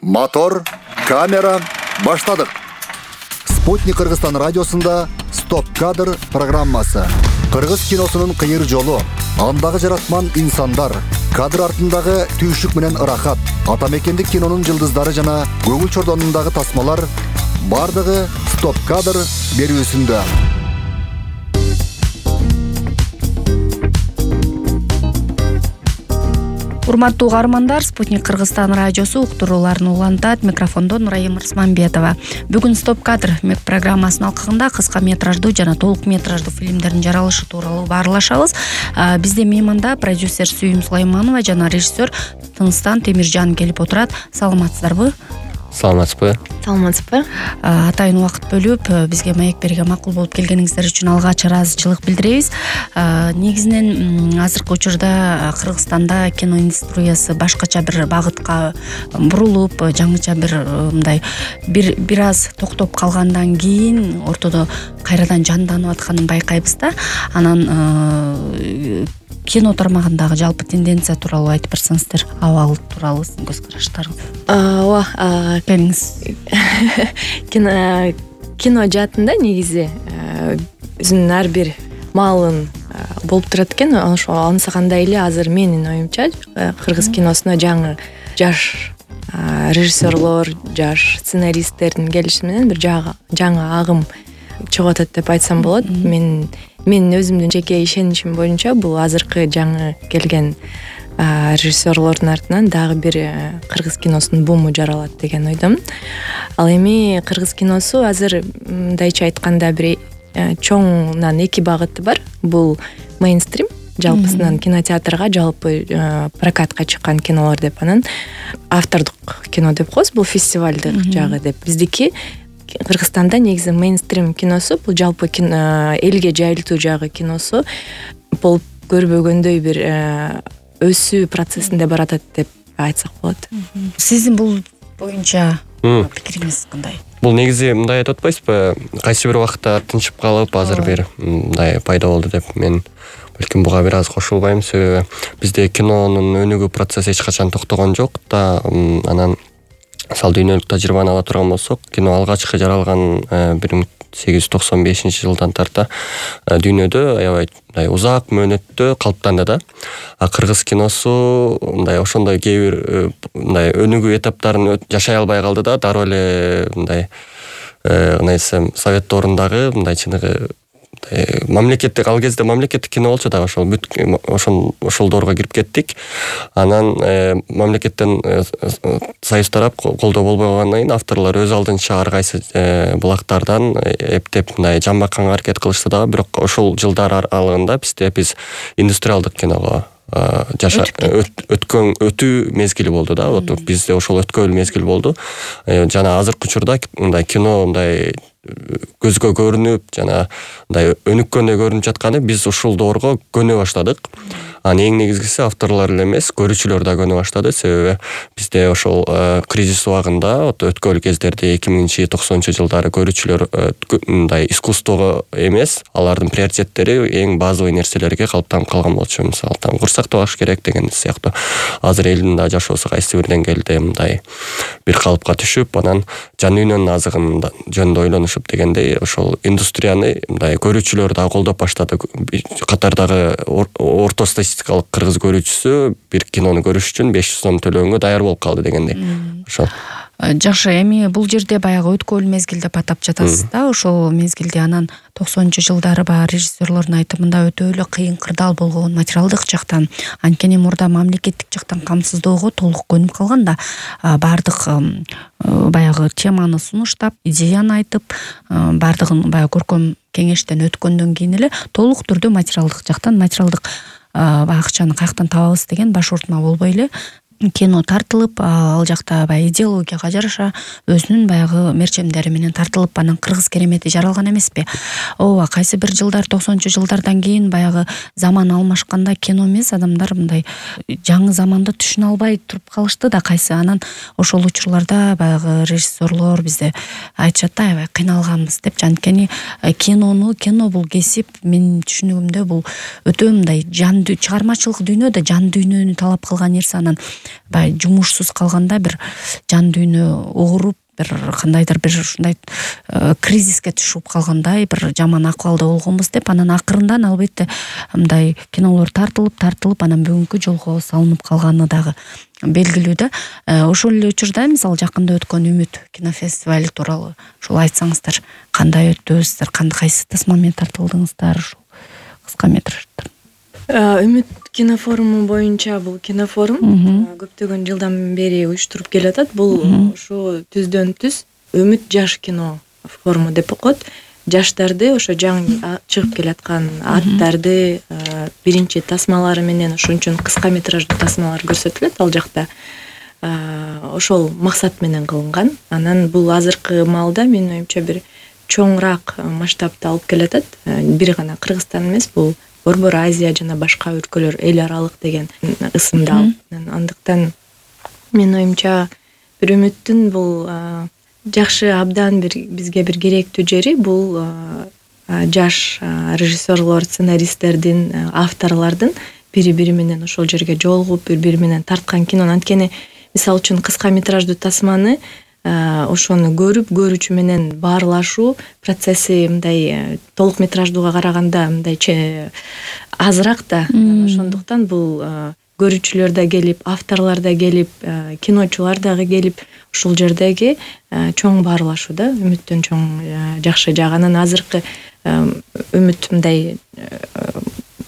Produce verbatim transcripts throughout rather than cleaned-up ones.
Мотор, камера, баштадык. Спутник Кыргызстан радиосунда Стоп кадр программасы. Кыргыз киносунун кыйыр жолу, андагы жаратман инсандар, кадр артындагы түйшүк менен ырахат, атамекендик кинонун жылдыздары жана көңүл чордонундагы тасмалар бардыгы Стоп кадр берүүсүндө. Урматтуу угармандар, Спутник Кыргызстан радиосу уктурууларын улантат. Микрофондо Нурайым Рысманбетова. Бүгүн Стоп кадр программасынын алкагында кыска метраждуу жана толук метраждуу фильмдердин жаралышы тууралуу баарлашабыз. Бизде мейманда продюсер Сүйүм Сулайманова жана режиссер Тыныстан Темиржан келип отурат. Саламатсыздарбы? Саламатсызбы? Саламатсызбы? Атайын убакыт бөлүп бизге маек берген макул болуп келгениңиздер үчүн алгач ыраазычылык билдиребиз. Негизинен азыркы учурда Кыргызстанда кино индустриясы башкача бир багытка бурулуп, жаңыча бир мындай бир бир аз токтоп калгандан кийин ортодо кайрадан жанданып атканын байкайбыз да. Анан кино тармагындагы жалпы тенденция тууралуу айтып берсеңиздер, абал тууралуу сиздин көз караштарыңыз. Ооба, келиңиз. Кино кино жаатында негизи өзүнүн ар бир маалын болуп турат экен. Ошо ансагандай эле азыр менин оюмча кыргыз киносуна жаңы жаш режиссерлор, жаш сценаристтердин келиши менен бир жаңы агым чыгып атат деп айтсам болот. Мен Мен өзүмдүн жеке ишеничим боюнча бул азыркы жаңы келген режиссерлордун артынан дагы бир кыргыз киносунун буму жаралат деген ойдомун. Ал эми кыргыз киносу азыр мындайча айтканда бир чоңунан эки багыты бар. Бул мейнстрим, жалпысынан кинотеатрга, жалпы прокатка чыккан кинолор деп, анан автордук кино деп коебуз, бул фестивалдык жагы деп. Биздики Кыргызстанда негизи мейнстрим киносу, бул жалпы элге жайылтуу жагы киносу болуп көрбөгөндөй бир өсүү процессинде баратат деп айтсак болот. Сиздин бул боюнча пикириңиз кандай? Бул негизи мындай айтып атпайсызбы? Кайсы бир убакта тынчып калып, азыр бир мындай пайда болду деп мен балким буга бир аз кошулбайм. Себеби бизде кинонун өнүгүү процесси эч качан токтогон жок да. Анан мисалы дүйнөлүк тажрыйбаны ала турган болсок, кино алгачкы жаралган бир миң сегиз жүз токсон бешинчи жылдан тарта дүйнөдө аябай узак мөөнөттө калыптанды да. А кыргыз киносу мындай ошондой кээ бир мындай өнүгүү этаптарын жашай албай калды да. Дароо эле мындай кандай десем, совет дорундагы мындай чыныгы мамлекеттик, ал кезде мамлекеттик кино болчу дагы, ошол бүт ошол ошол доорго кирип кеттик. Анан мамлекеттен союз тарап колдоо болбой калгандан кийин авторлор өз алдынча ар кайсы булактардан эптеп мындай жамбакканга аракет кылышты дагы. Бирок ошол жылдар аралыгында бизде биз индустриалдык киного жаша өткөн өтүү мезгили болду да. Вот бизде ошол өткөн мезгил болду. Жана азыркы учурда мындай кино мындай көзгө көрүнүп жана мындай өнүккөндөй көрүнүп жатканы биз ушул доорго көнө баштадык. Анан эң негизгиси авторлор эле эмес, көрүүчүлөр да көнө баштады. Себеби бизде ошол кризис убагында, өткөн кездерде эки миңинчи токсонунчу жылдары көрүүчүлөр мындай искусствого эмес, алардын приоритеттери эң базовый нерселерге калыптанып калган болчу. Мисалы там курсакты багыш керек деген сыяктуу. Азыр элдин да жашоосу кайсы бир деңгээлде мындай бир калыпка түшүп, анан жан дүйнөнүн азыгын жөнүндө ойлонушуп дегендей, ошол индустрияны мындай көрүүчүлөр да колдоп баштады. Катардагы орто статистикалык кыргыз көрүүчүсү бир кинону көрүш үчүн беш жүз сом төлөгөнгө даяр болуп калды дегендей. Ошол. Жакшы, эми бул жерде баягы өткөн мезгил деп атап жатасыз да. Ошол мезгилде анан токсонунчу жылдары баягы режиссерлордун айтымында өтө эле кыйын кырдаал болгон материалдык жактан. Анткени мурда мамлекеттик жактан камсыздоого толук көнүп калган да. Бардык баягы теманы сунуштап, идеяны айтып, бардыгын баягы көркөм кеңештен өткөндөн кийин эле толук түрдө материалдык жактан, материалдык акчаны каяктан табабыз деген баш ортма болбой эле кино тартылып, ал жакта баягы идеологияга жараша өзүнүн баягы мерчемдери менен тартылып, анан кыргыз керемети жаралган эмеспи? Ооба, кайсы бир жылдар токсонунчу жылдардан кийин баягы заман алмашканда кино эмес, адамдар мындай жаңы заманды түшүнө албай туруп калышты да кайсы. Анан ошол учурларда баягы режиссерлор бизде айтышат да, аябай кыйналганбыз деп. Анткени кинону, кино бул кесип, менин түшүнүгүмдө бул өтө мындай жан чыгармачылык дүйнөдө жан дүйнөнү талап кылган нерсе. Анан баягы жумушсуз калганда бир жан дүйнө ооруп бир кандайдыр бир ушундай кризиске түшүп калгандай бир жаман акыбалда болгонбуз деп анан акырындан албетте мындай кинолор тартылып тартылып анан бүгүнкү жолго салынып калганы дагы белгилүү да. Ошол эле учурда мисалы жакында өткөн Үмүт кинофестивали тууралуу ушул айтсаңыздар, кандай өттү, сиздер кандай кайсы тасмамен тартылдыңыздар ушул кыска метраждар? Үмүт кинофоруму боюнча бул кинофорум көптөгөн жылдан бери уюштуруп келатат. Бул ошо түздөн түз Үмүт жаш кино форуму деп коет. Жаштарды ошо жаңы чыгып келаткан аттарды биринчи тасмалары менен ошон үчүн кыска метраждуу тасмалар көрсөтүлөт ал жакта. Ошол максат менен кылынган. Анан бул азыркы маалда менин оюмча бир чоңураак масштабта алып келатат. Бир гана Кыргызстан эмес, бул Борбор Азия жана башка өлкөлөр эл аралык деген ысымды алып. Андыктан менин оюмча бир Үмүттүн бул жакшы абдан бир бизге бир керектүү жери бул жаш режиссерлор, сценаристтердин, авторлордун бири-бири менен ошол жерге жолугуп, бири-бири менен тарткан кино. Анткени мисалы үчүн кыска метраждуу тасманы ошону көрүп, көрүүчү менен баарлашуу процесси мындай толук метраждууга караганда мындай азыраак да. Ошондуктан бул көрүүчүлөр да келип, авторлор да келип, киночулар дагы келип, ушул жердеги чоң баарлашуу да Үмүттүн чоң жакшы жагы. Анан азыркы Үмүт мындай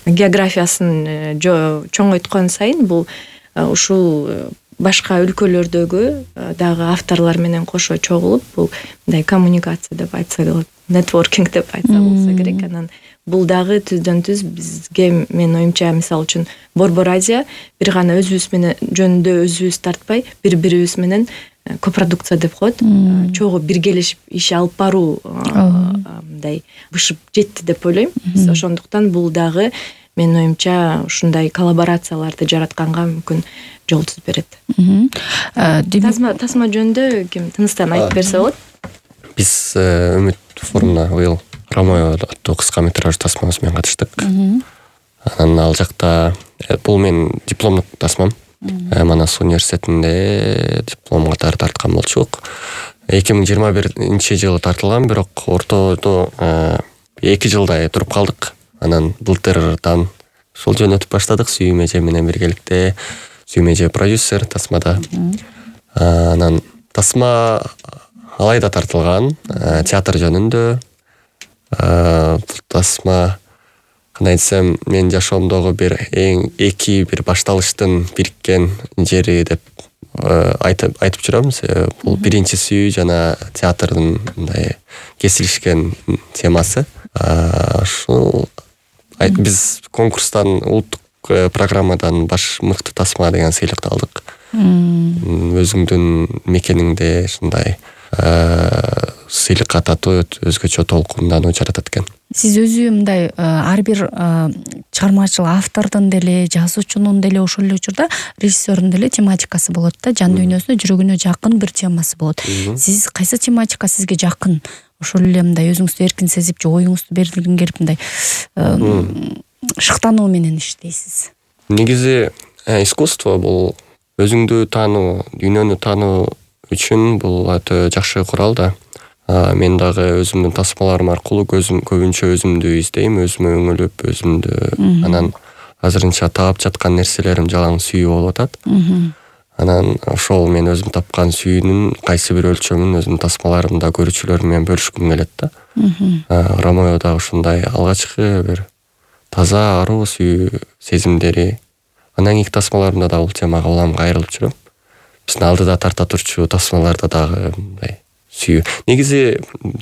географиясын чоңойткон сайын бул ушул башка өлкөлөрдөгү дагы авторлор менен кошо чогулуп, бул мындай коммуникация деп айтса болот, нетворкинг деп айтса болсо керек. Анан бул дагы түздөн түз бизге, менин оюмча, мисалы үчүн Борбор Азия бир гана өзүбүз менен жөнүндө өзүбүз тартпай, бири-бирибиз менен копродукция деп коет, чогуу биргелешип иш алып баруу мындай бышып жетти деп ойлойм. Ошондуктан бул дагы менин оюмча ушундай коллаборацияларды жаратканга мүмкүн жол түзүп берет. Тасма тасма жөнүндө ким тыныстан айтып берсе болот? Биз Үмүт форумуна быйыл Ромео аттуу кыска метраждуу тасмабыз менен катыштык. Анан ал жакта бул менин дипломдук тасмам. Манас университетинде диплом катары тарткан болчук. эки миң жыйырма биринчи жылы тартылган, бирок ортодо эки жылдай туруп калдык. Анан былтырдан ушул жөнөтүп баштадык Сүйүм эже менен биргеликте. Сүйүм эже продюсер тасмада. Анан тасма алайда тартылган театр жөнүндө. Тасма кандай десем, мен жашоомдогу бир эң эки бир башталыштын бириккен жери деп айтып айтып жүрөм. Бул биринчи Сүйүү жана театрдын мындай кесилишкен темасы. Ушул биз конкурстан, улуттук программадан баш мыкты тасма деген сыйлыкты алдык. Өзүңдүн мекениңде ушундай сыйлыкка татуу өзгөчө толкундануу жаратат экен. Сиз өзү мындай ар бир чыгармачыл автордун деле, жазуучунун деле, ошол эле учурда режиссердун деле тематикасы болот да, жан дүйнөсүнө, жүрөгүнө жакын бир темасы болот. Сиз кайсы тематика сизге жакын? Ошол эле мындай өзүңүздү эркин сезип, же оюңузду бергиң келип мындай шыктануу менен иштейсиз? Негизи искусство бул өзүңдү таануу, дүйнөнү таануу үчүн бул өтө жакшы курал да. Мен дагы өзүмдүн тасмаларым аркылуу көбүнчө өзүмдү издейм, өзүмө өңөлүп, өзүмдү анан азырынча таап жаткан нерселерим жалаң сүйүү болуп атат. Анан ошол мен өзүм тапкан сүйүүнүн кайсы бир өлчөмүн өзүмдүн тасмаларымда көрүүчүлөр менен бөлүшкүм келет да. Ромео да ушундай алгачкы бир таза аруу сүйүү сезимдери. Анан кийинки тасмаларымда да бул темага улам кайрылып жүрөм. Биздин алдыда тарта турчу тасмаларда дагы мындай сүйүү. Негизи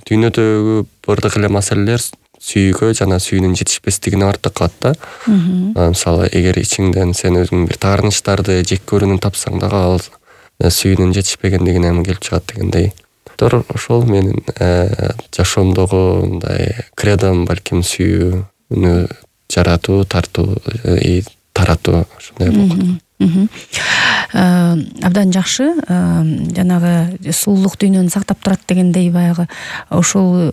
дүйнөдөгү бардык эле маселелер сүйүүгө жана сүйүүнүн жетишпестигине артып калат да. Мисалы, эгер ичиңден сен өзүң бир таарынычтарды жек көрүүнүн тапсаң дагы ал сүйүүнүн жетишпегендигинен келип чыгат дегендей. Ошол менин жашоомдогу мындай кредом, балким сүйүүнү жаратуу, тартуу, таратуу ушундай болот. Абдан жакшы. Жанагы сулуулук дүйнөнү сактап турат дегендей, баягы ошол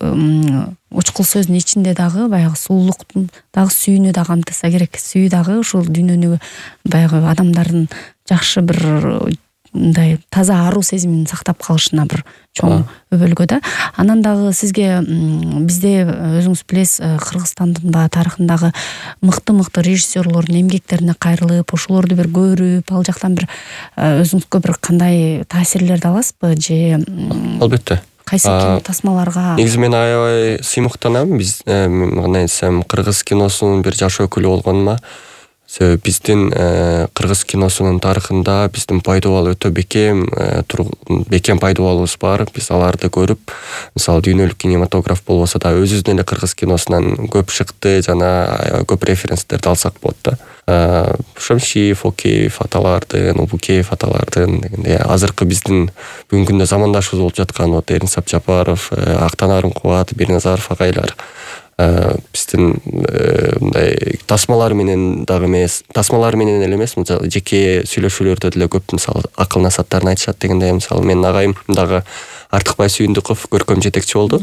учкул сөздүн ичинде дагы баягы сулуулуктун дагы сүйүүнү да камтыса керек. Сүйүү дагы ушул дүйнөнү баягы адамдардын жакшы бир мындай таза аруу сезимин сактап калышына бир чоң өбөлгө да. Анан дагы сизге бизде өзүңүз билесиз, Кыргызстандын баягы тарыхындагы мыкты-мыкты режиссерлордун эмгектерине кайрылып, ошолорду бир көрүп, ал жактан бир өзүңүзгө бир кандай таасирлерди аласызбы же? Албетте. Кайсы кино тасмаларга? Негизи мен аябай сыймыктанам. Биз кандай десем, кыргыз киносунун бир жаш өкүлү болгонума. Себеби биздин кыргыз киносунун тарыхында биздин пайдубал өтө бекем бекем пайдубалыбыз бар. Биз аларды көрүп, мисалы дүйнөлүк кинематограф болбосо да өзүбүздүн эле кыргыз киносунан көп шыкты, жана көп референстерди алсак болот да. Шамшиев, Океев аталардын, Убукеев аталардын дегенде азыркы биздин бүгүнкү күндө замандашыбыз болуп жаткан вот Эрнис Абжапаров, Актан Арымкубат, Бирназаров агайлар биздин мындай тасмалар менен дагы эмес, тасмалар менен эле эмес, жеке сүйлөшүүлөрдө деле көп мисалы акыл насааттарын айтышат дегенде, мисалы менин агайым дагы Артыкбай Сүйүндүков көркөм жетекчи болду.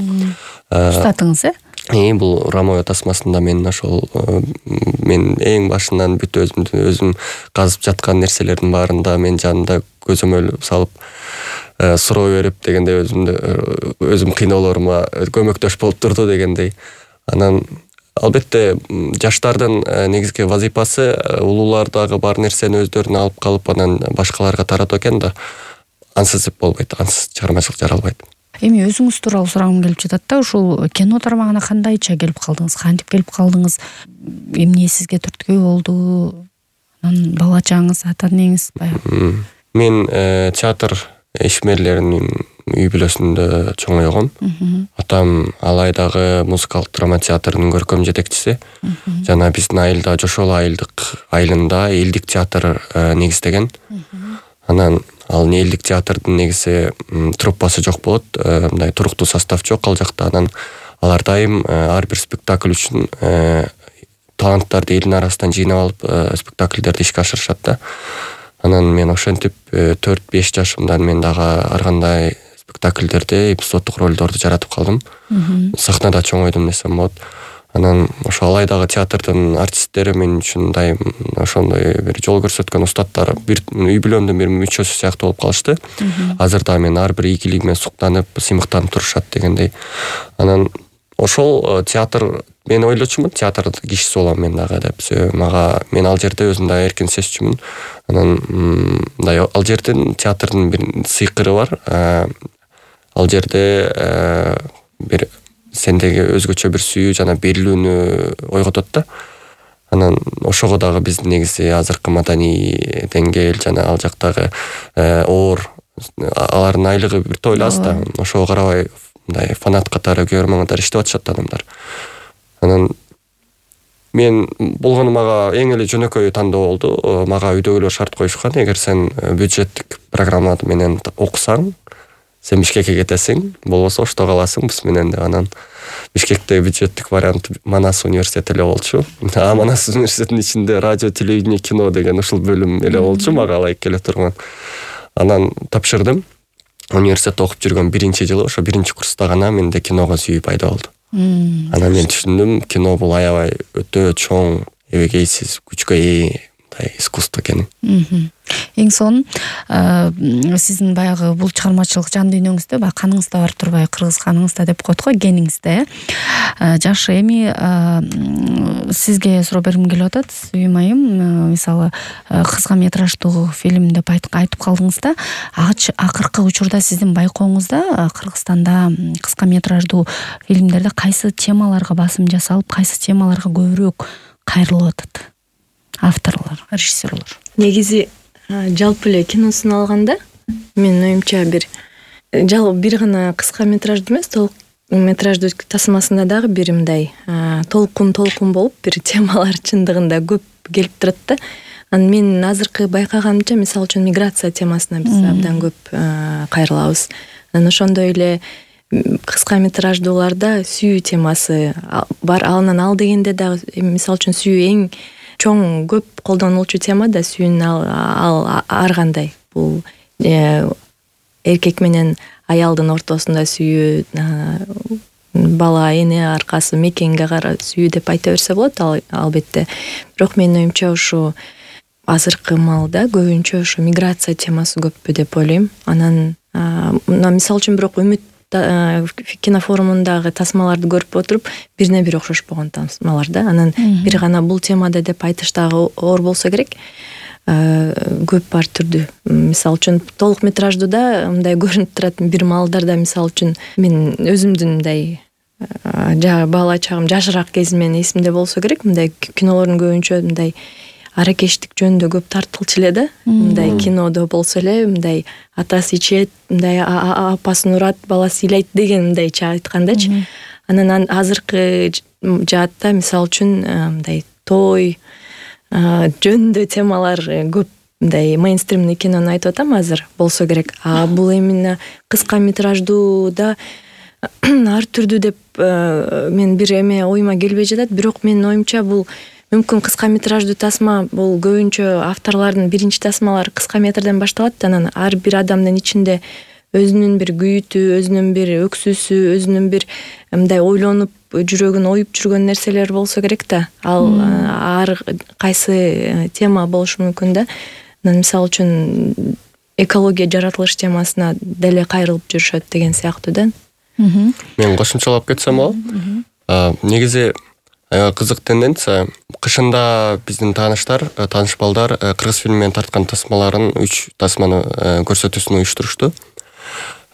Устатыңыз, э? Э, бул Рамоя тасмасында мен ошол мен эң башынан бүт өзүм өзүм казып жаткан нерселердин баарында мен жанында көзөмөл салып суроо берип дегенде өзүмдү өзүм кыйноолорума көмөктөш болуп турду дегендей. Анан албетте жаштардын негизги вазифасы улуулардагы бар нерсени өздөрүнө алып калып анан башкаларга таратуу экен да. Ансыз болбойт, ансыз чыгармачылык жаралбайт. Эми өзүңүз тууралуу сурагым келип жатат да, ушул кино тармагына кандайча келип калдыңыз, кантип келип калдыңыз, эмне сизге түрткү болду, анан бала чагыңыз, ата энеңиз баягы? Мен театр ишмерлеринин үй бүлөсүндө чоңойгом. Атам Алайдагы музыкалык драма театрынын көркөм жетекчиси. Жана биздин айылда Жошол айылдык айылында элдик театр негиздеген. Анан ал элдик театрдын негизи труппасы жок болот, мындай туруктуу состав жок ал жакта. Анан алар дайым ар бир спектакль үчүн таланттарды элдин арасынан жыйнап алып спектакльдерди ишке ашырышат да. Анан мен ошентип төрт-беш жашымдан мен дагы ар кандай спектакльдерде эпизоддук ролдорду жаратып калдым. Сахнада чоңойдум десем болот. Анан ошо Алайдагы театрдын артисттери мен үчүн дайым ошондой бир жол көрсөткөн устаттар, бир үй бүлөмдүн бир мүчөсү сыяктуу болуп калышты. Азыр да мен ар бир ийгилигиме суктанып, сыймыктанып турушат дегендей. Анан ошол театр мен ойлочумун, театр кишиси болом мен дагы деп. Мага мен ал жерде өзүм да эркин сезчүмүн. Анан мындай ал жердин театрдын бир сыйкыры бар. Ал жерде бир сендеги өзгөчө бир сүйүү жана берилүүнү ойготот да. Анан ошого дагы биздин негизи азыркы маданий деңгээл жана ал жактагы оор алардын айлыгы бир тойло аз да. Ошого карабай мындай фанат катары көрөрмөн катары иштеп атышат адамдар. Анан мен болгону мага эң эле жөнөкөй тандоо болду. Мага үйдөгүлөр шарт коюшкан, эгер сен бюджеттик программа менен окусаң, сен Бишкекке кетесиң, болбосо Ошто каласың биз менен деп. Анан Бишкекте бюджеттик вариант Манас университети эле болчу. А Манас университетинин ичинде радио, телевидение, кино деген ушул бөлүм эле болчу, мага ылайык келе турган. Анан тапшырдым. Университетте окуп жүргөн биринчи жылы, ошо биринчи курста гана менде киного сүйүү пайда болду. Анан мен түшүндүм, кино бул аябай өтө чоң, эбегейсиз күчкө ээ искусство экенин. Эң сонун сиздин баягы бул чыгармачылык жан дүйнөңүздө баягы каныңызда бар турбай, кыргыз каныңызда деп коет го, гениңизде. Жакшы, эми сизге суроо бергим келип атат, Сүйүм айым. Мисалы, кыска метраждуу фильм деп айтып калдыңыз да. Акыркы учурда сиздин байкооңузда Кыргызстанда кыска метраждуу фильмдерде кайсы темаларга басым жасалып, кайсы темаларга көбүрөөк кайрылып атат? Авторлор, режиссерлор. Негизи жалпы эле киносун алганда, менин оюмча бир жалпы бир гана кыска метраждуу эмес, толук метраждуу тасмасында дагы бир мындай толкун толкун болуп бир темалар чындыгында көп келип турат да. Анан мен азыркы байкаганымча, мисалы үчүн миграция темасына биз абдан көп кайрылабыз. Анан ошондой эле кыска метраждууларда сүйүү темасы бар. Анан ал дегенде дагы мисалы үчүн сүйүү эң чоң көп колдонулчу тема да, сүйүүнүн ал ар кандай. Бул эркек менен аялдын ортосунда сүйүү, бала, эне аркасы, мекенге кара сүйүү деп айта берсе болот албетте. Бирок менин оюмча ушу азыркы маалда көбүнчө ошо миграция темасы көппү деп ойлойм. Анан мына мисалы үчүн бирок Үмүт кинофорумундагы тасмаларды көрүп отуруп бирине бири окшошпогон тасмалар да. Анан бир гана бул темада деп айтыш дагы оор болсо керек. Көп ар түрдүү. Мисалы үчүн толук метраждуу да мындай көрүнүп турат бир маалдарда. Мисалы үчүн мен өзүмдүн мындай бала чагым жашыраак кезим менен эсимде болсо керек. Мындай кинолордун көбүнчө мындай аракештик жөнүндө көп тартылчу эле да. Мындай кинодо болсо эле мындай атасы ичет, мындай апасын урат, баласы ыйлайт деген мындайча айткандачы. Анан азыркы жаатта мисалы үчүн мындай той жөнүндө темалар көп, мындай мейнстримный кинону айтып атам азыр болсо керек. А бул именно кыска метраждууда ар түрдүү деп мен бир эме оюма келбей жатат. Бирок менин оюмча бул мүмкүн кыска метраждуу тасма бул көбүнчө авторлордун биринчи тасмалары кыска метрден башталат. Анан ар бир адамдын ичинде өзүнүн бир күйүтү, өзүнүн бир өксүсү, өзүнүн бир мындай ойлонуп жүрөгүн оюп жүргөн нерселер болсо керек да. Ал ар кайсы тема болушу мүмкүн да. Анан мисалы үчүн экология жаратылыш темасына деле кайрылып жүрүшөт деген сыяктуу да. Мен кошумчалап кетсем болот. Негизи кызык тенденция. Кышында биздин тааныштар, тааныш балдар кыргыз фильминен тарткан тасмаларын үч тасманы көрсөтүүсүн уюштурушту.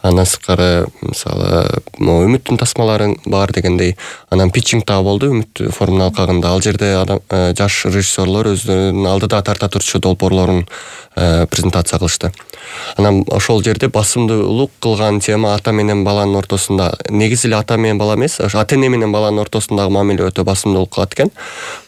Андан сырткары мисалы Үмүттүн тасмалары бар дегендей, анан питчинг дагы болду Үмүт форумунун алкагында. Ал жерде жаш режиссерлор өздөрүнүн алдыда тарта турчу долбоорлорун презентация кылышты. Анан ошол жерде басымдуулук кылган тема ата менен баланын ортосунда. Негизи эле ата менен бала эмес, ата эне менен баланын ортосундагы мамиле өтө басымдуулук кылат экен.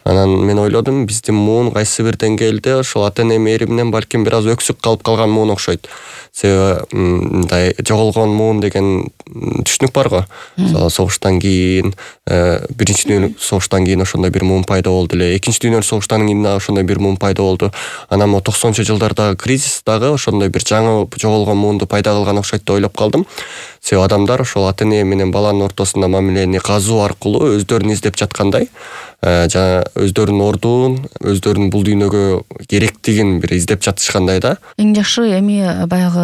Анан мен ойлодум, биздин муун кайсы бир деңгээлде ошол ата эне мээриминен балким бир аз өксүк калып калган муун окшойт. Себеби мындай жоголгон муун деген түшүнүк бар го. Мисалы согуштан кийин, биринчи дүйнөлүк согуштан кийин ошондой бир муун пайда болду эле. Экинчи дүйнөлүк согуштан кийин дагы ошондой бир муун пайда болду. Анан мо токсонунчу жылдардагы кризис дагы ошондой бир жаңы жоголгон муунду пайда кылган окшойт деп ойлоп калдым. Себеби адамдар ошол ата эне менен баланын ортосунда мамилени казуу аркылуу өздөрүн издеп жаткандай, жана өздөрүнүн ордун, өздөрүнүн бул дүйнөгө керектигин бир издеп жатышкандай да. Эң жакшы эми баягы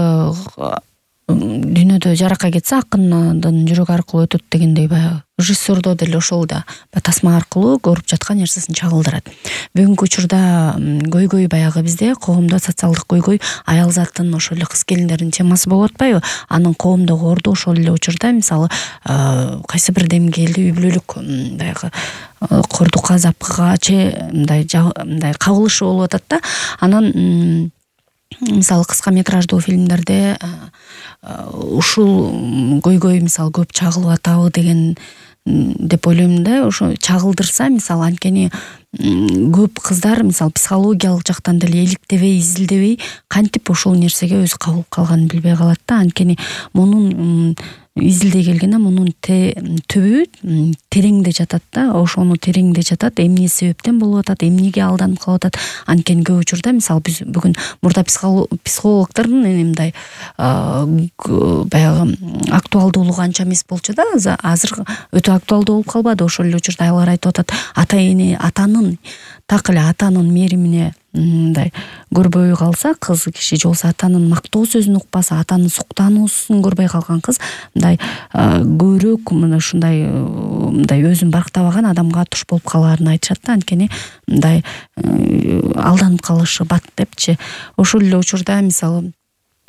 дүйнөдө жарака кетсе акындын жүрөгү аркылуу өтөт дегендей баягы режиссердо деле ошол да тасма аркылуу көрүп жаткан нерсесин чагылдырат. Бүгүнкү учурда көйгөй баягы бизде коомдо социалдык көйгөй аял заттын ошол эле кыз келиндердин темасы болуп атпайбы? Анын коомдогу орду ошол эле учурда мисалы кайсы бир деңгээлде үй бүлөлүк баягы кордукка, запкыга че мындай мындай кабылышы болуп атат да. Анан мисалы кыска метраждуу фильмдерде ушул көйгөй мисалы көп чагылып атабы деген деп ойлойм да. Ошо чагылдырса мисалы анткени көп кыздар мисалы психологиялык жактан деле иликтебей, изилдебей кантип ошол нерсеге өзү кабылып калганын билбей калат да. Анткени мунун изилдей келгенде мунун түбү тереңде жатат да. Ошону тереңде жатат, эмне себептен болуп атат, эмнеге алданып калып атат. Анткени көп учурда мисалы биз бүгүн мурда психологдордун мындай баягы актуалдуулугу анча эмес болчу да. Азыр өтө актуалдуу болуп калбады. Ошол эле учурда аялар айтып атат, ата-эне атанын так эле атанын мээримине мындай көрбөй калса кыз киши, же болбосо атанын мактоо сөзүн укпаса, атанын суктануусун көрбөй калган кыз мындай көбүрөөк мына ушундай мындай өзүн барктабаган адамга туш болуп калаарын айтышат да. Анткени мындай алданып калышы бат депчи. Ошол эле учурда мисалы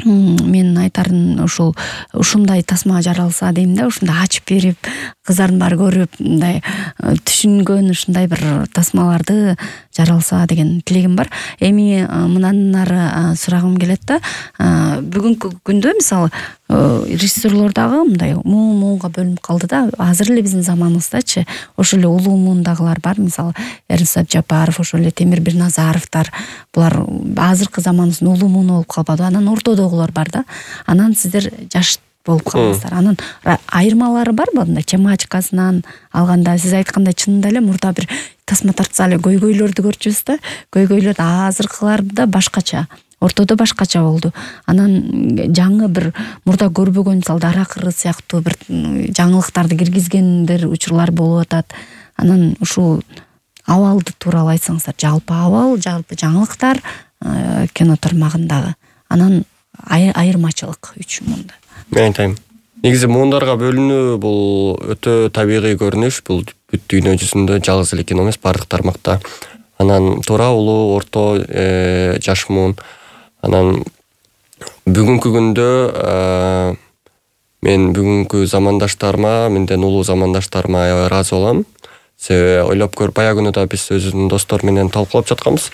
мен айтарым ушул ушундай тасма жаралса дейм да. Ушундай ачып берип, кыздардын баары көрүп, мындай түшүнгөн ушундай бир тасмаларды жаралса деген тилегим бар. Эми мындан ары сурагым келет да. Бүгүнкү күндө мисалы режиссерлор дагы мындай муун-муунга бөлүнүп калды да. Азыр эле биздин заманыбыздачы ошол эле улуу муундагылар бар. Мисалы Эрнст Абжапаров, ошол эле Темир Бирназаровдор. Булар азыркы заманыбыздын улуу мууну болуп калбады. Анан ортодогулар бар да. Анан сиздер жаш болуп каласыздар. Анан айырмалары барбы? Мындай тематикасынан алганда сиз айткандай чынында эле мурда бир тасма тартса эле көйгөйлөрдү көрчүбүз да. Көйгөйлөр азыркыларда башкача, ортодо башкача болду. Анан жаңы бир мурда көрбөгөн мисалы Дара кыры сыяктуу бир жаңылыктарды киргизгендер учурлар болуп атат. Анан ушул абалды тууралуу айтсаңыздар, жалпы абал, жалпы жаңылыктар кино тармагындагы анан айырмачылык үч муунда. Мен айтайын. Негизи муундарга бөлүнүү бул өтө табигый көрүнүш. Бул бүт дүйнө жүзүндө жалгыз эле кино эмес, бардык тармакта. Анан туура, улуу, орто, жаш муун. Анан бүгүнкү күндө мен бүгүнкү замандаштарыма, менден улуу замандаштарыма аябай ыраазы болом. Себеби ойлоп көр, баягы күнү да биз өзүбүздүн достор менен талкуулап жатканбыз.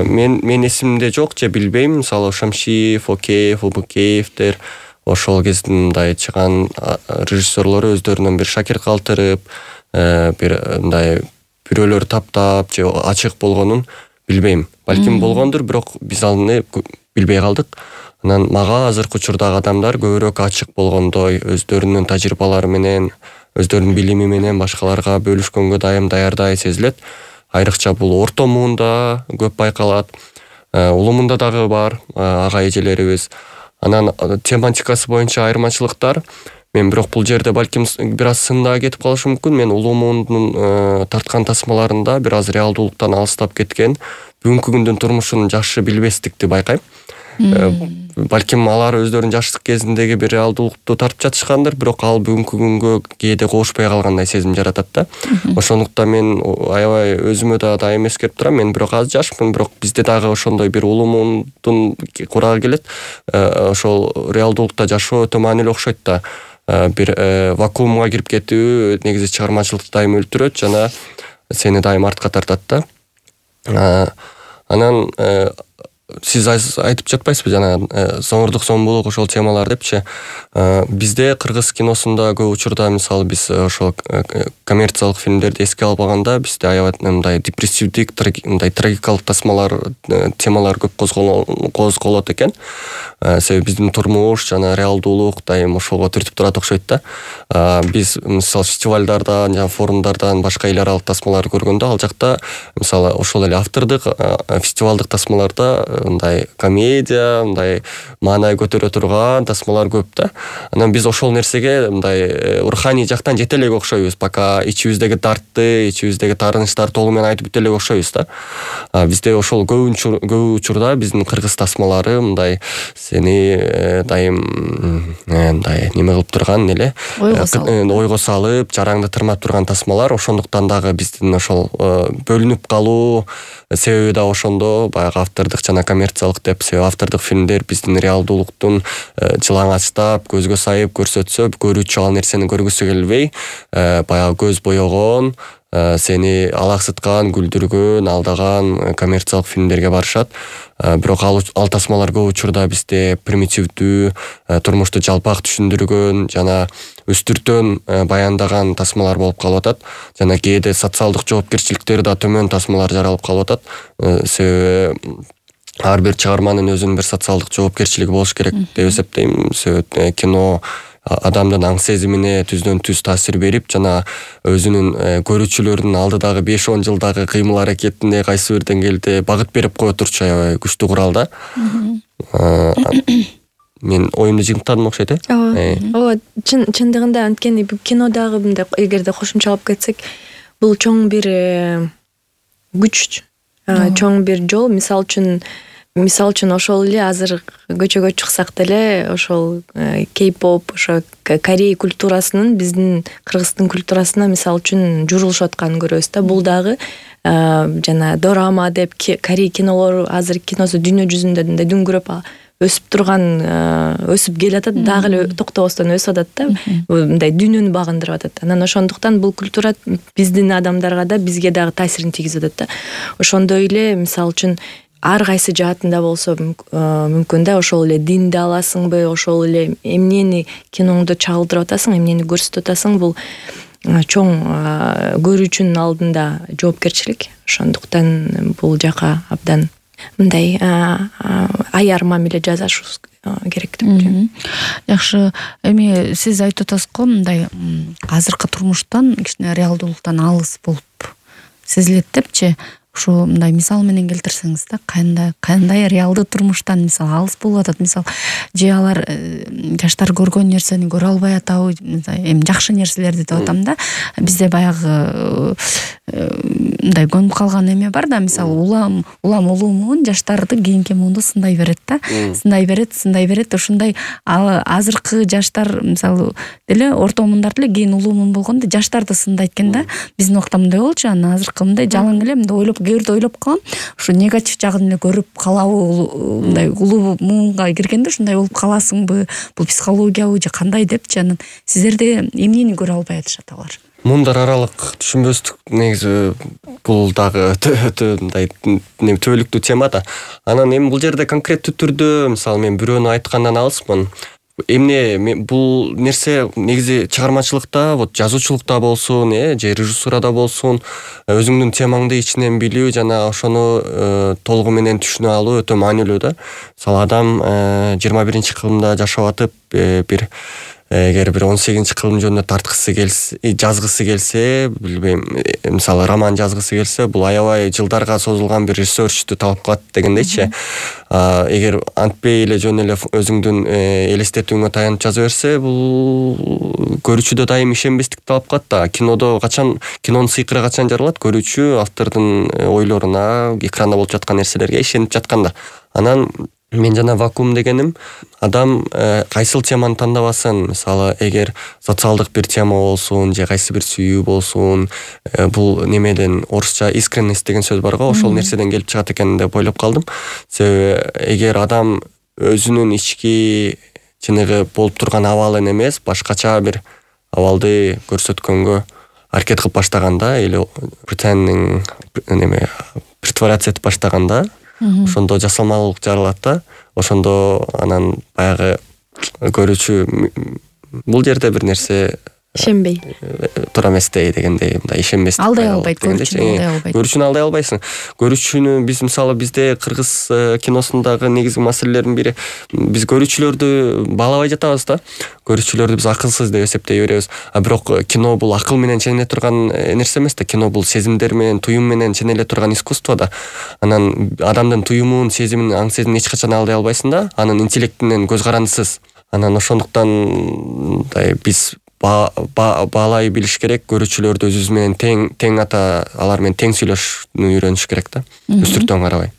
Мен мен эсимде жок же билбейм. Мисалы Шамшиев, Океев, Убукеевдер ошол кездин мындай чыган режиссерлору өздөрүнөн бир шакирт калтырып, бир мындай бирөөлөр таптап же ачык болгонун билбейм. Балким болгондур, бирок биз аны билбей калдык. Анан мага азыркы учурдагы адамдар көбүрөөк ачык болгондой, өздөрүнүн тажрыйбалары менен, өздөрүнүн билими менен башкаларга бөлүшкөнгө дайым даярдай сезилет. Айрыкча бул орто муунда көп байкалат. Улуу муунда дагы бар ага эжелерибиз. Анан тематикасы боюнча айырмачылыктар. Мен бирок бул жерде балким бир аз сында кетип калышы мүмкүн. Мен улуу муундун тарткан тасмаларында бир аз реалдуулуктан алыстап кеткен, бүгүнкү күндүн турмушун жакшы билбестикти байкайм. Балким алар өздөрүнүн жаштык кезиндеги бир реалдуулукту тартып жатышкандыр, бирок ал бүгүнкү күнгө кээде кошпой калгандай сезим жаратат да. Ошондуктан мен аябай өзүмө да дайым эскерип турам. Мен бирок аз жашмын, бирок бизде дагы ошондой бир улуу муундун курагы келет. Ошол реалдуулукта жашоо өтө маанилүү окшойт да. Бир вакуумга кирип кетүү негизи чыгармачылыкты дайым өлтүрөт жана сени дайым артка тартат да. Анан сиз айтып жатпайсызбы жана соңурдук сомбулук ошол темалар депчи. Бизде кыргыз киносунда көп учурда мисалы биз ошол коммерциялык фильмдерди эске албаганда бизде аябай мындай депрессивдик, мындай трагикалык тасмалар, темалар көп козголот экен. Себеби биздин турмуш жана реалдуулук дайым ошого түртүп турат окшойт да. Биз мисалы фестивалдардан жана форумдардан башка эл аралык тасмаларды көргөндө ал жакта мисалы ошол эле автордук фестивалдык тасмаларда мындай комедия, мындай маанай көтөрө турган тасмалар көп да. Анан биз ошол нерсеге мындай руханий жактан жете элек окшойбуз, пока ичибиздеги дартты, ичибиздеги таарынычтарды толугу менен айтып бүт элек окшойбуз да. Бизде ошол көп учурда биздин кыргыз тасмалары мындай сени дайым мындай неме кылып турган эле, ойго салып, жараңды тырмап турган тасмалар. Ошондуктан дагы биздин ошол бөлүнүп калуу себеби да ошондо, баягы автордук жана коммерциялык деп. Себеби автордук фильмдер биздин реалдуулуктун жылаңачтап, көзгө сайып көрсөтсө, көрүүчү ал нерсени көргүсү келбей, баягы көз боёгон, сени алаксыткан, күлдүргөн, алдаган коммерциялык фильмдерге барышат. Бирок ал, ал тасмалар көп учурда бизде примитивдүү, турмушту жалпак түшүндүргөн жана үстүртөн баяндаган тасмалар болуп калып атат. Жана кээде социалдык жоопкерчиликтери да төмөн тасмалар жаралып калып атат. Себеби ар бир чыгарманын өзүнүн бир социалдык жоопкерчилиги болуш керек деп эсептейм. Себеби кино адамдын аң сезимине түздөн түз таасир берип, жана өзүнүн көрүүчүлөрүнүн алдыдагы беш он жылдагы кыймыл аракетине кайсы бир деңгээлде багыт берип кое турчу аябай күчтүү курал да. Мен оюмду жыйынтыктадым окшойт э. Ооба. Ооба, чындыгында анткени кинодагы мындай эгерде кошумчалап кетсек, бул чоң бир күч, чоң бир жол. Мисалы үчүн Мисалы үчүн ошол эле азыр көчөгө чыксак деле ошол кей-поп, ошо Корей культурасынын биздин кыргыздын культурасына мисалы үчүн журулушуп атканын көрөбүз да. Бул дагы жана дорама деп Корей кинолору азыр киносу дүйнө жүзүндө мындай дүңгүрөп өсүп турган, өсүп келатат, дагы эле токтобостон өсүп атат да. Мындай дүйнөнү багындырып атат. Анан ошондуктан бул культура биздин адамдарга да, бизге дагы таасирин тийгизип атат да. Ошондой эле мисалы үчүн ар кайсы жаатында болсо мүмкүн да, ошол эле динди аласыңбы, ошол эле эмнени киноңдо чагылдырып атасың, эмнени көрсөтүп атасың, бул чоң көрүүчүнүн алдында жоопкерчилик. Ошондуктан бул жака абдан мындай аяр мамиле жасашыбыз керек деп ойлойм. Жакшы, эми сиз айтып атасыз го, мындай азыркы турмуштан кичине реалдуулуктан алыс болуп сезилет депчи. ушу мындай мисал менен келтирсеңиз да, кандай кандай реалдуу турмуштан мисал алыс болуп атат, мисал же алар жаштар көргөн нерсени көрө албай атабы, эми жакшы нерселерди деп атам да. Бизде баягы мындай көнүп калган эме бар да, мисал улам улам улумун жаштарды кийинки муунду сындай берет да, сындай берет, сындай берет. Ушундай азыркы жаштар мисалы деле орто мундар деле кийин улуумун болгондо жаштарды сындайт экен да. Биздин убакта мындай болчу, анан азыркы мындай жалаң эле мындай ойлоп, кээ бирде ойлоп калам, ушу негатив жагын эле көрүп калабы, мындай улуу муунга киргенде ушундай болуп каласыңбы, бул психологиябы же кандай депчи. Анан сиздерде эмнени көрө албай атышат алар? Мундар аралык түшүнбөстүк негизи бул дагы өтө мындай төбөлүктүү тема да. Анан эми бул жерде конкреттүү түрдө мисалы мен бирөөнү айткандан алыспын. Эмне бул нерсе негизи чыгармачылыкта, вот жазуучулукта болсун, э, же режиссурада болсун, өзүңдүн темаңды ичинен билүү жана ошону толугу менен түшүнө алуу өтө маанилүү да. Мисалы адам жыйырма биринчи кылымда жашап атып, бир эгер бир он сегизинчи кылым жөнүндө тарткысы келсе, жазгысы келсе, билбейм, мисалы роман жазгысы келсе, бул аябай жылдарга созулган бир ресерчтү талап кылат дегендейчи. Эгер антпей эле жөн эле өзүңдүн элестетүүңө таянып жаза берсе, бул көрүүчүдө дайым ишенбестик талап кылат да. Кинодо качан, кинонун сыйкыры качан жаралат? Көрүүчү автордун ойлоруна, экранда болуп жаткан нерселерге ишенип жатканда. Анан мен жана вакуум дегеним, адам кайсыл теманы тандабасын, мисалы эгер социалдык бир тема болсун, же кайсы бир сүйүү болсун, бул немеден орусча искренность деген сөз бар го, ошол нерседен келип чыгат экен деп ойлоп калдым. Себеби эгер адам өзүнүн ички чыныгы болуп турган абалын эмес, башкача бир абалды көрсөткөнгө аракет кылып баштаганда, или pretending неме притворяться этип баштаганда, ошондо жасалмалуулук жаралат да. Ошондо анан баягы көрүүчү бул жерде бир нерсе ишенбей туура эместей дегендей, мындай ишенбестик алдай албайт, көрүүчүнү алдай албайт. Көрүүчүнү алдай албайсың. Көрүүчүнү биз мисалы бизде кыргыз киносундагы негизги маселелердин бири, биз көрүүчүлөрдү баалабай жатабыз да. Көрүүчүлөрдү биз акылсыз деп эсептей беребиз. А бирок кино бул акыл менен ченеле турган нерсе эмес да. Кино бул сезимдер менен, туюм менен ченеле турган искусство да. Анан адамдын туюмун, сезимин, аң сезимин эч качан алдай албайсың да. Анын интеллектинен көз карандысыз. Анан ошондуктан мындай биз баалай билиш керек, көрүүчүлөрдү өзүбүз менен тең тең ата, алар менен тең сүйлөшүүнү үйрөнүш керек да. Үстүртөн карабай.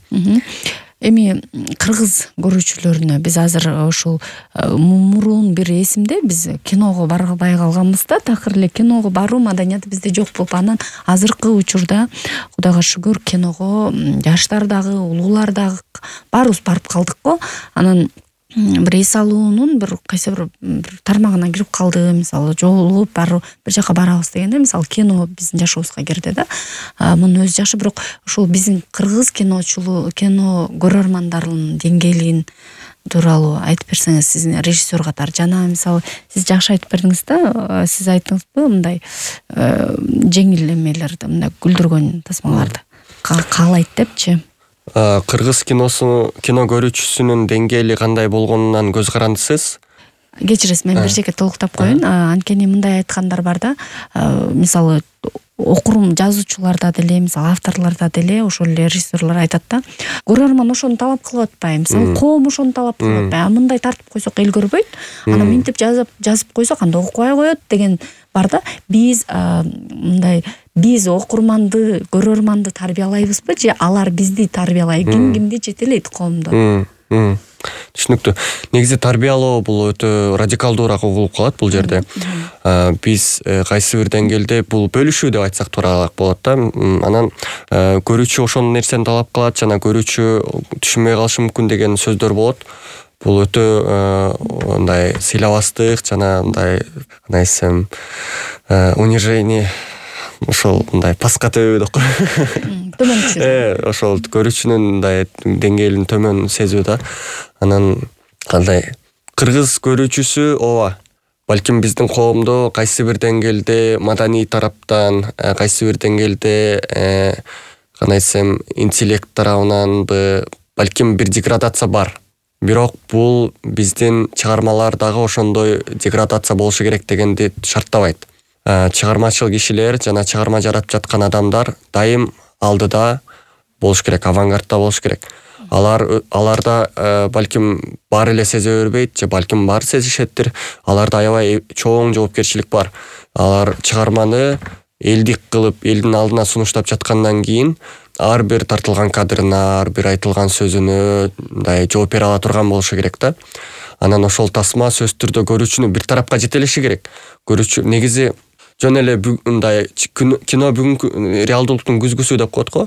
Эми кыргыз көрүүчүлөрүнө биз азыр ушул мурун бир эсимде биз киного барбай калганбыз да, такыр эле киного баруу маданияты бизде жок болуп, анан азыркы учурда Кудайга шүгүр киного жаштар дагы, улуулар дагы баарыбыз барып калдык го. Анан бир эс алуунун бир кайсы бир тармагына кирип калды, мисалы жолугуп барып бир жака барабыз дегенде, мисалы кино биздин жашообузга кирди да. Мунун өзү жакшы, бирок ушул биздин кыргыз киночулуу, кино көрөрмандарынын деңгээлин тууралуу айтып берсеңиз, сиздин режиссер катары. Жана мисалы сиз жакшы айтып бердиңиз да, сиз айттыңызбы мындай жеңил эмелерди, мындай күлдүргөн тасмаларды каалайт депчи. Кыргыз киносу, кино көрүүчүсүнүн деңгээли кандай болгонунан көз карандысыз. Кечиресиз, мен бир жерге толуктап коеюн. Анткени мындай айткандар бар да, мисалы окурум жазуучуларда деле, мисалы авторлордо деле, ошол эле режиссерлор айтат да, көрөрман ошону талап кылып атпайбы, мисалы коом ошону талап кылып атпайбы, а мындай тартып койсок эл көрбөйт, анан минтип жазып жазып койсок анда окубай коет деген бар да. Биз мындай биз окурманды, көрөрманды тарбиялайбызбы же алар бизди тарбиялайт? Ким кимди жетелейт коомдо? Түшүнүктүү. Негизи тарбиялоо бул өтө радикалдуураак угулуп калат бул жерде. Биз кайсы бир деңгээлде бул бөлүшүү деп айтсак туураак болот да. Анан көрүүчү ошол нерсени талап кылат, жана көрүүчү түшүнбөй калышы мүмкүн деген сөздөр болот. Бул өтө мындай сыйлабастык жана мындай кандай десем унижение, ошол мындай паска төбө деп коет. Төмөн түшүрүү. Э, ошол көрүүчүнүн мындай деңгээлин төмөн сезүү да. Анан кандай кыргыз көрүүчүсү ооба, балким биздин коомдо кайсы бир деңгээлде маданий тараптан, кайсы бир деңгээлде кандай десем интеллект тарабынан балким бир деградация бар. Бирок бул биздин чыгармалар дагы ошондой деградация болушу керек дегенди шарттабайт. Чыгармачыл кишилер жана чыгарма жаратып жаткан адамдар дайым алдыда болуш керек, авангардда болуш керек. Алар аларда балким баары эле сезе бербейт же балким баары сезишеттир. Аларда аябай чоң жоопкерчилик бар. Алар чыгарманы элдик кылып, элдин алдына сунуштап жаткандан кийин ар бир тартылган кадрына, ар бир айтылган сөзүнө мындай жооп бере ала турган болушу керек да. Анан ошол тасма сөзсүз түрдө көрүүчүнү бир тарапка жетелеши керек. Көрүүчү негизи жөн эле мындай кино бүгүнкү реалдуулуктун күзгүсү деп коет го.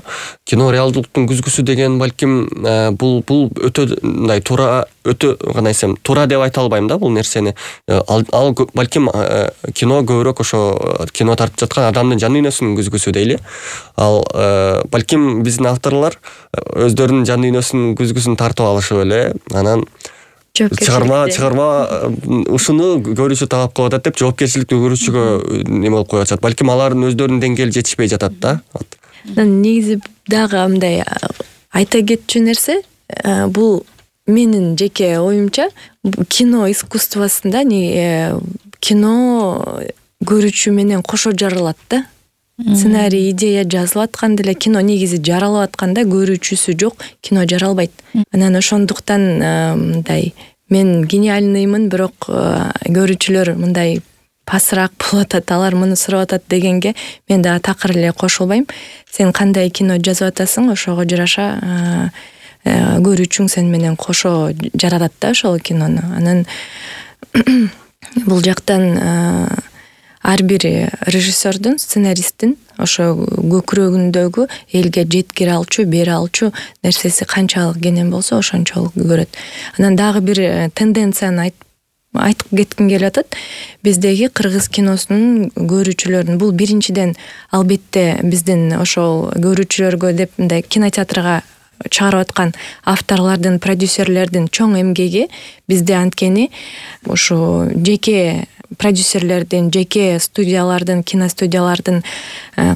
Кино реалдуулуктун күзгүсү деген балким бул бул өтө мындай туура, өтө кандай десем, туура деп айта албайм да бул нерсени. Ал, ал балким кино көбүрөөк ошо кино тартып жаткан адамдын жан дүйнөсүнүн күзгүсү дейли. Ал балким биздин авторлор өздөрүнүн жан дүйнөсүнүн күзгүсүн тартып алышып эле анан чыгарма чыгарма ушуну көрүүчү талап кылып атат деп жоопкерчиликти көрүүчүгө неме болуп коюп атат. Балким алардын өздөрүнүн деңгээли жетишпей жатат да. Негизи дагы мындай айта кетчү нерсе, бул менин жеке оюмча кино искусствосунда кино көрүүчү менен кошо жаралат да. Сценарий, идея жазылып атканда эле кино негизи жаралып атканда көрүүчүсү жок, кино жаралбайт. Анан ошондуктан мындай мен гениальныймын, бирок көрүүчүлөр мындай пасыраак болуп атат, алар муну сурап атат дегенге мен дагы такыр эле кошулбайм. Сен кандай кино жазып атасың, ошого жараша көрүүчүң сен менен кошо жаратат да ошол кинону. Анан бул жактан ар бир режиссердун, сценаристтин ошо көкүрөгүндөгү элге жеткире алчу, бере алчу нерсеси канчалык кенен болсо ошончолук көрөт. Анан дагы бир тенденцияны айтып кетким келип атат. Биздеги кыргыз киносунун көрүүчүлөрүн, бул биринчиден албетте биздин ошол көрүүчүлөргө деп мындай кинотеатрга чыгарып аткан авторлордун, продюсерлердин чоң эмгеги. Бизде анткени ошо жеке продюсерлердин, жеке студиялардын, киностудиялардын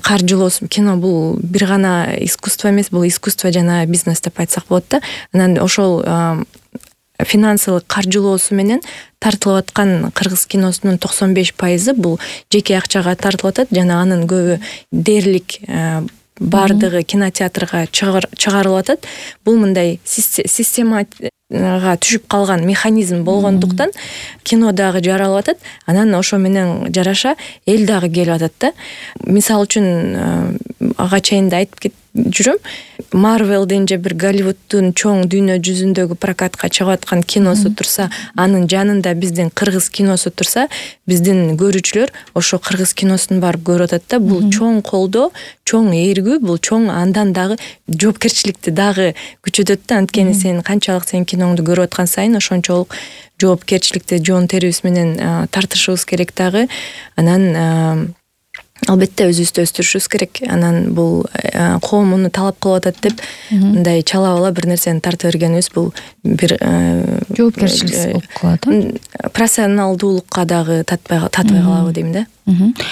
каржылоосу. Кино бул бир гана искусство эмес, бул искусство жана бизнес деп айтсак болот да. Анан ошол финансылык каржылоосу менен тартылып аткан кыргыз киносунун токсон беш пайызы бул жеке акчага тартылып атат жана анын көбү дээрлик бардыгы кинотеатрга чыгарылып атат. Бул мындай системага түшүп калган механизм болгондуктан кино дагы жаралып атат. Анан ошо менен жараша эл дагы келип атат да. Мисалы үчүн ага чейин да айтып жүрөм. Marvel'дин же бир Голливуддун чоң дүйнө жүзүндөгү прокатка чыгып аткан киносу турса, анын жанында биздин кыргыз киносу турса, биздин көрүүчүлөр ошо кыргыз киносун барып көрүп атат да. Бул чоң колдоо, чоң ээргүү, бул чоң андан дагы жоопкерчиликти дагы күчөтөт да. Анткени сен канчалык сен киноңду көрүп аткан сайын ошончолук жоопкерчиликти жоон терибиз менен тартышыбыз керек дагы. Анан албетте өзүбүздү өстүрүшүбүз керек. Анан бул коом муну талап кылып атат деп мындай чала бала бир нерсени тартып бергенибиз бул бир жоопкерчиликсиз болуп калат. Профессионалдуулукка дагы татпай татпай калабы дейм да.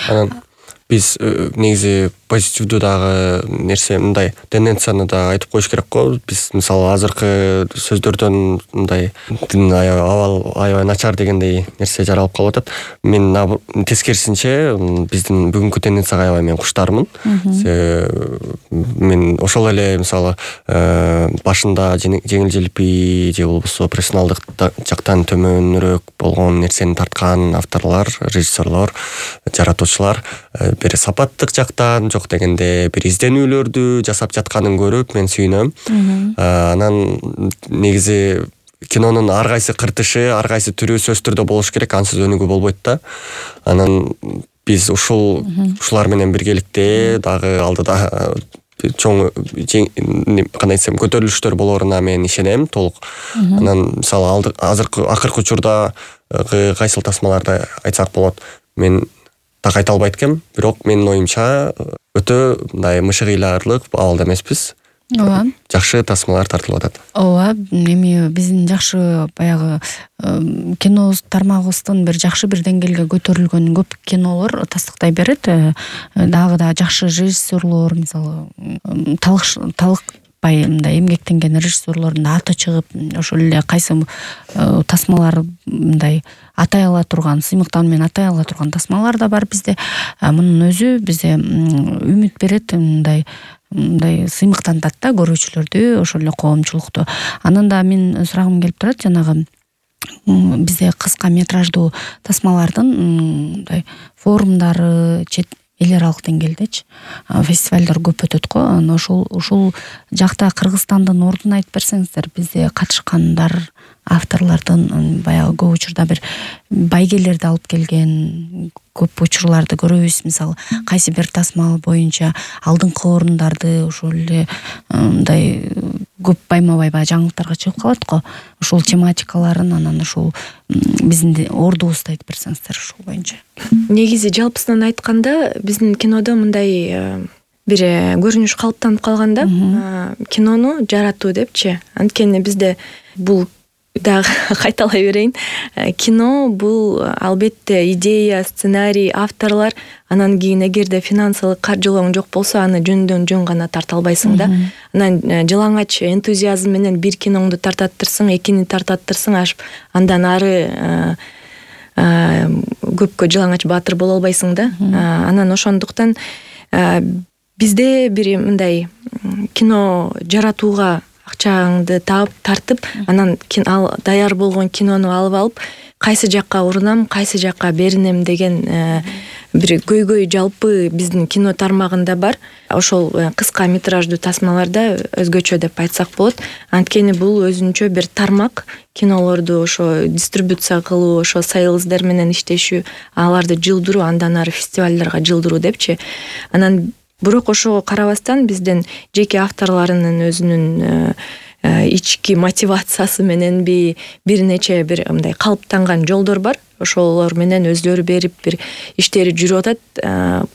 Анан биз негизи позитивдүү дагы нерсе мындай тенденцияны да айтып коюш керек го. Биз мисалы азыркы сөздөрдөн мындай абал аябай начар дегендей нерсе жаралып калып атат. Мен тескерисинче биздин бүгүнкү тенденцияга аябай мен куштармын. Мен ошол эле мисалы башында жеңил желпи же болбосо профессионалдык жактан төмөнүрөөк болгон нерсени тарткан авторлор, режиссерлор, жаратуучулар бир сапаттык жактан жок дегенде бир изденүүлөрдү жасап жатканын көрүп мен сүйүнөм. Анан негизи кинонун ар кайсы кыртышы, ар кайсы түрү сөзсүз түрдө болуш керек, ансыз өнүгүү болбойт да. Анан биз ушул ушулар менен биргеликте дагы алдыда чоң кандай десем көтөрүлүштөр болоруна мен ишенем толук. Анан мисалы азыркы акыркы учурда кайсыл тасмаларды айтсак болот, мен так айта албайт экем, бирок менин оюмча өтө мындай мышыгыйлаарлык абалда эмеспиз. Ооба. Жакшы тасмалар тартылып атат. Ооба, эми биздин жакшы баягы кино тармагыбыздын бир жакшы бир деңгээлге көтөрүлгөн көп кинолор тастыктай берет. Дагы да жакшы режиссерлор, мисалы талык бай мындай эмгектенген режиссерлордун аты чыгып, ошол эле кайсы тасмалар мындай атай ала турган, сыймыктан менен атай ала турган тасмалар да бар бизде. Мунун өзү бизде үмүт берет, мындай мындай сыймыктантат да көрүүчүлөрдү, ошол эле коомчулукту. Анан да мен сурагым келип турат, жанагы бизде кыска метраждуу тасмалардын мындай форумдары чет эл аралык деңгээлдечи фестивалдар көп өтөт го. Анан ошол ушул жакта Кыргызстандын ордун айтып берсеңиздер, бизде катышкандар, авторлордун баягы көп учурда бир байгелерди алып келген көп учурларды көрөбүз. Мисалы, кайсы бир тасма боюнча алдыңкы орундарды ошол эле мындай көп байма-бай баягы жаңылыктарга чыгып калат го. Ошол тематикаларын анан ошол биздин ордубузду айтып берсеңиздер ошол боюнча. Негизи жалпысынан айтканда биздин кинодо мындай бир көрүнүш калыптанып калганда, кинону жаратуу депчи. Анткени бизде бул дагы кайталай берейин. Кино бул албетте идея, сценарий, авторлор, анан кийин эгерде финансылык каржылооң жок болсо, аны жөндөн жөн гана тарта албайсың да. Анан жылаңач энтузиазм менен бир киноңду тартаттырсың, экини тартаттырсың, аш андан ары көпкө жылаңач баатыр боло албайсың да. Анан ошондуктан бизде бир мындай кино жаратууга акчаңды таап тартып, анан ал даяр болгон кинону алып алып, кайсы жакка урунам, кайсы жакка беринем деген бир көйгөй жалпы биздин кино тармагында бар. Ошол кыска метраждуу тасмаларда өзгөчө деп айтсак болот. Анткени бул өзүнчө бир тармак, кинолорду ошо дистрибуция кылуу, ошо сейлздар менен иштешүү, аларды жылдыруу, андан ары фестивалдарга жылдыруу депчи. Анан бирок ошого карабастан биздин жеке авторлорунун өзүнүн ички мотивациясы мененби бир нече бир мындай калыптанган жолдор бар. Ошолор менен өздөрү берип бир иштери жүрүп атат.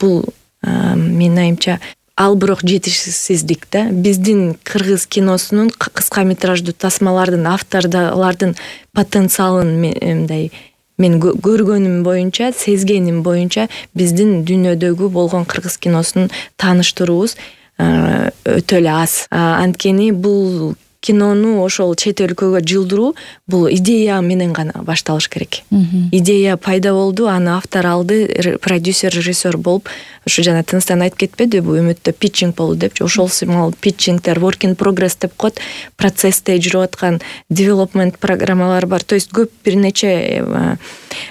Бул менин оюмча ал бирок жетишсиздик да. Биздин кыргыз киносунун кыска метраждуу тасмалардын авторлордун потенциалын мындай мен көргөнүм боюнча, сезгеним боюнча биздин дүйнөдөгү болгон кыргыз киносун тааныштыруубуз өтө эле аз. Анткени бул кинону ошол чет өлкөгө жылдыруу бул идея менен гана башталыш керек. Идея пайда болду, аны автор алды, продюсер, режиссер болуп, ошо жана Тыныстан айтып кетпеди, бул үмүттө питчинг болду депчи. Ошол сымал питчингдер, work in progress деп коет, процессте жүрүп аткан development программалар бар. То есть көп бир нече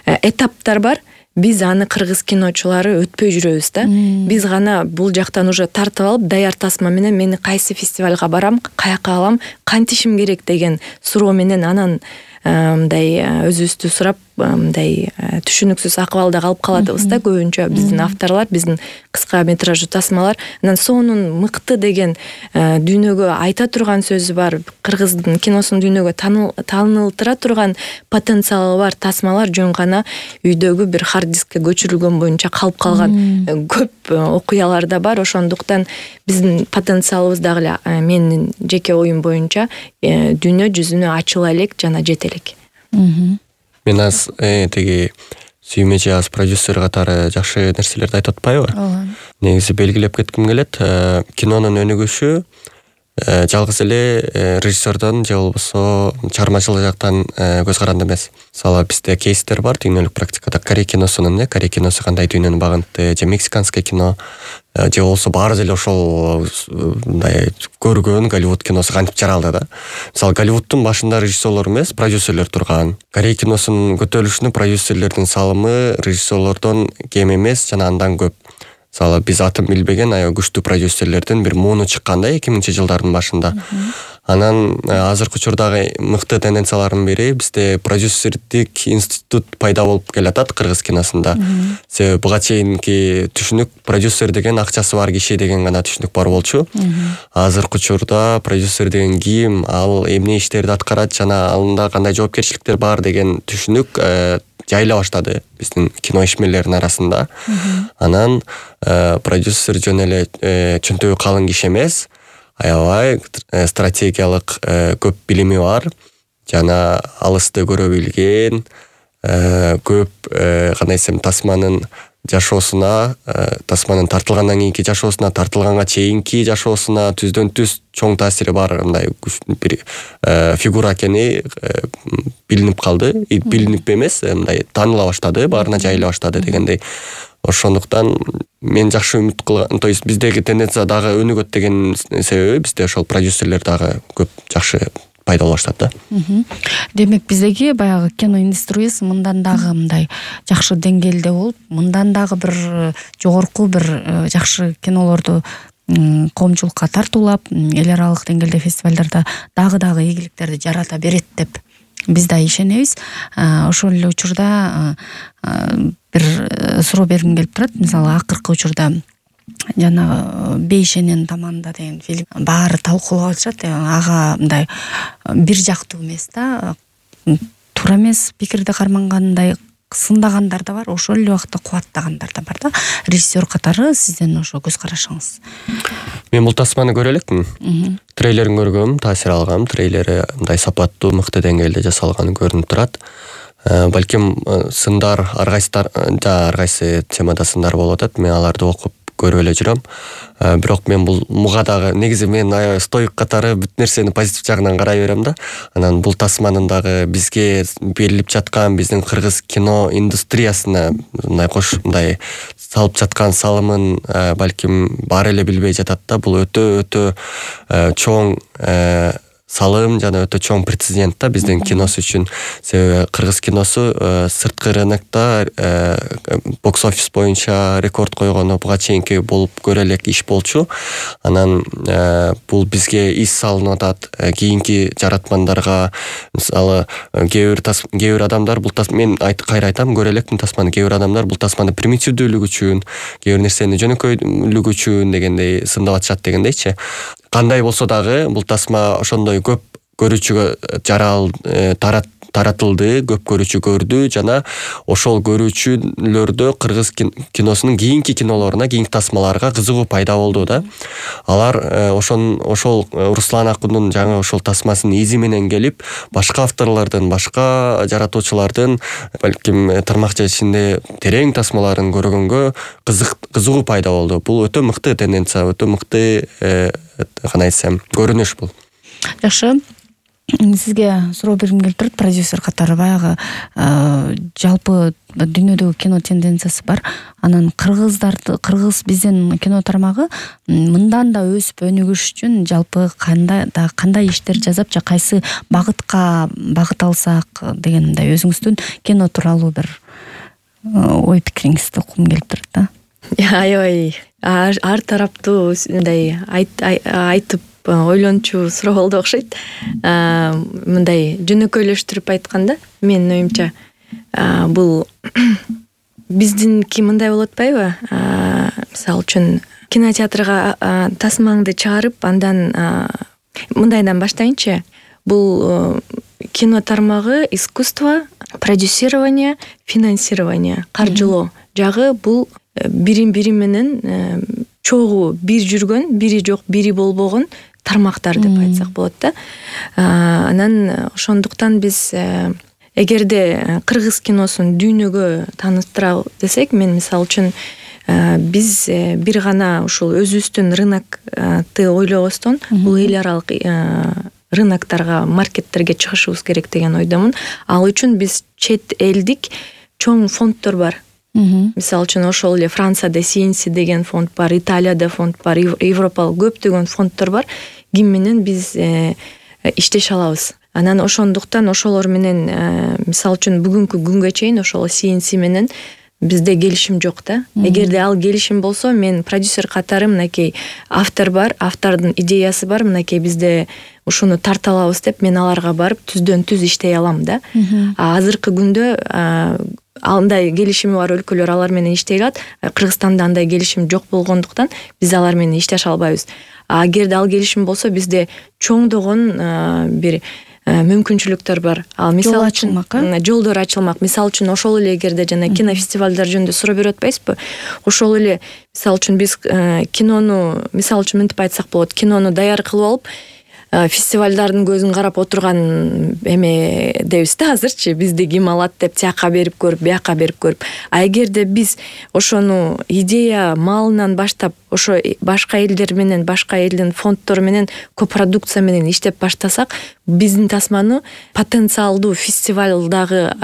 этаптар бар. Биз аны кыргыз киночулары өтпөй жүрөбүз да. Биз гана бул жактан уже тартып алып, даяр тасма менен мени кайсы фестивалга барам, каяка алам, кантишим керек деген суроо менен анан мындай өзүбүздү сурап, мындай түшүнүксүз акыбалда калып калатыбыз да көбүнчө биздин авторлор, биздин кыска метраждуу тасмалар. Анан сонун мыкты деген дүйнөгө айта турган сөзү бар, кыргыздын киносунун дүйнөгө таанылтыра турган потенциалы бар тасмалар жөн гана үйдөгү бир хард дискке көчүрүлгөн боюнча калып калган көп окуялар да бар. Ошондуктан биздин потенциалыбыз дагы эле менин жеке оюм боюнча дүйнө жүзүнө ачыла элек жана жете элек. Мен аз теги сүймечи аз продюсер катары жакшы нерселерди айтып атпайбы? Негизи белгилеп кетким келет. Кинонун өнүгүшү жалгыз эле режиссердон же болбосо чыгармачылык жактан көз каранды эмес. Мисалы, бизде кейстер бар дүйнөлүк практикада. Корей киносунун, э, Корей киносу кандай дүйнөнү багынты, же мексиканский кино, же болсо баары эле ошол мындай көргөн Голливуд киносу кантип жаралды да. Мисалы, Голливудтун башында режиссерлор эмес, продюсерлер турган. Корей киносунун көтөрүлүшүнө продюсерлердин салымы режиссерлордон кем эмес жана андан көп. Мисалы, биз атын билбеген аябай күчтүү продюсерлердин бир мууну чыкканда эки миңинчи жылдардын башында. Анан азыркы учурдагы мыкты тенденциялардын бири бизде продюсердик институт пайда болуп келатат кыргыз киносунда. Себеби буга чейинки түшүнүк продюсер деген акчасы бар киши деген гана түшүнүк бар болчу. Азыркы учурда продюсер деген ким, ал эмне иштерди аткарат жана алында кандай жоопкерчиликтер бар деген түшүнүк жайыла баштады биздин кино ишмерлеринин арасында. Анан продюсер жөн эле чөнтөгү калың киши эмес, аябай стратегиялык көп билими бар жана алысты көрө билген, көп кандай десем тасманын жашоосуна, тасманын тартылгандан кийинки жашоосуна, тартылганга чейинки жашоосуна түздөн түз чоң таасири бар мындай бир фигура экени билинип калды. Билинип эмес, мындай тааныла баштады, баарына жайыла баштады дегендей. Ошондуктан мен жакшы үмүт кылган, то есть биздеги тенденция дагы өнүгөт деген себеби бизде ошол продюсерлер дагы көп жакшы пайда болуп баштады да. Демек биздеги баягы кино индустриясы мындан дагы мындай жакшы деңгээлде болуп, мындан дагы бир жогорку бир жакшы кинолорду коомчулукка тартуулап, эл аралык деңгээлде фестивалдарда дагы-дагы ийгиликтерди жарата берет деп биз да ишенебиз. Ошол эле учурда бир суроо бергим келип турат. Мисалы, акыркы учурда жана Бейшенен таманда деген фильм баары талкуулап атышат. Ага мындай бир жактуу эмес да, туура эмес пикирди кармангандай сындагандар да бар, ошол эле убакытта кубаттагандар да бар да. Режиссер катары сиздин ошо көз карашыңыз? Мен бул тасманы көрө элекмин. Трейлерин көргөм, таасир алгам. Трейлери мындай сапаттуу, мыкты деңгээлде жасалганы көрүнүп турат. Балким сындар ар кайсылар да ар кайсы темада сындар болуп атат. Мен аларды окуп көрүп эле жүрөм. Бирок мен бул муга дагы негизи мен стоик катары бүт нерсени позитив жагынан карай берем да. Анан бул тасманын дагы бизге берилип жаткан биздин кыргыз кино индустриясына мындай кош мындай салып жаткан салымын балким баары эле билбей жатат да. Бул өтө өтө чоң салым жана өтө чоң прецедент да биздин киносу үчүн. Себеби кыргыз киносу сырткы рынокто бокс офис боюнча рекорд койгону буга чейинки болуп көрө элек иш болчу. Анан бул бизге из салынып атат. Кийинки жаратмандарга мисалы кээ бир кээ бир адамдар бул мен кайра айтам, көрө элекмин тасманы. Кээ бир адамдар бул тасманы примитивдүүлүгү үчүн, кээ бир нерсени жөнөкөйлүгү үчүн дегендей сындап атышат дегендейчи. Кандай болсо дагы бул тасма ошондой көп көрүүчүгө жарал тарат таратылды, көп көрүүчү көрдү жана ошол көрүүчүлөрдө кыргыз киносунун кийинки кинолоруна, кийинки тасмаларга кызыгуу пайда болду да. Алар ошон ошол Руслан Акундун жаңы ошол тасмасынын изи менен келип, башка авторлордун, башка жаратуучулардын балким тармакча ичинде терең тасмаларын көргөнгө кызык кызыгуу пайда болду. Бул өтө мыкты тенденция, өтө мыкты кандай десем, көрүнүш бул. Жакшы. Сизге суроо бергим келип турат, продюсер катары баягы жалпы дүйнөдөгү кино тенденциясы бар. Анан кыргыздарды, кыргыз биздин кино тармагы мындан да өсүп өнүгүш үчүн жалпы кандай да кандай иштер жасап, жа кайсы багытка багыт алсак деген мындай өзүңүздүн кино тууралуу бир ой пикириңизди уккум келип турат да. Аябай ар тараптуу мындай айтып ойлончу суроо болду окшойт. Мындай жөнөкөйлөштүрүп айтканда, менин оюмча бул биздинки мындай болуп атпайбы? Мисалы үчүн кинотеатрга тасмаңды чыгарып, андан мындайдан баштайынчы. Бул кино тармагы искусство, продюсирование, финансирование, каржылоо жагы бул бирин-бири менен чогуу бир жүргөн, бири жок, бири болбогон тармактар деп айтсак болот да. Анан ошондуктан биз эгерде кыргыз киносун дүйнөгө тааныштыра десек, мен мисалы үчүн биз бир гана ушул өзүбүздүн рынокты ойлобостон бул эл аралык рыноктарга, маркеттерге чыгышыбыз керек деген ойдомун. Ал үчүн биз чет элдик чоң фонддор бар. Мисалы үчүн ошол эле Францияда си эн си деген фонд бар, Италияда фонд бар, Европалык көптөгөн фонддор бар. Ким менен биз иштеше алабыз. Анан ошондуктан ошолор менен мисалы үчүн бүгүнкү күнгө чейин ошол си эн си менен бизде келишим жок да. Эгерде ал келишим болсо, мен продюсер катары мынакей автор бар, автордун идеясы бар, мынакей бизде ушуну тарта алабыз деп мен аларга барып түздөн түз иштей алам да. Азыркы күндө андай келишими бар өлкөлөр алар менен иштей алат. Кыргызстанда андай келишим жок болгондуктан биз алар менен иштеше албайбыз. Эгерде ал келишим болсо, бизде чоңдогон бир мүмкүнчүлүктөр бар. Ал мисалы үчүн жолдор ачылмак. Мисалы үчүн ошол эле эгерде жана кинофестивалдар жөнүндө суроо берип атпайсызбы? Ошол эле мисалы үчүн биз кинону, мисалы үчүн мынтип айтсак болот, кинону даяр кылып алып, фестивалдардын көзүн карап отурган эме дебиз да азырчы, бизди ким алат деп тияка берип көрүп, бияка берип көрүп. А эгерде биз ошону идея маалынан баштап ошо башка элдер менен, башка элдин фонддору менен копродукция менен иштеп баштасак, биздин тасманы потенциалдуу фестивалдагы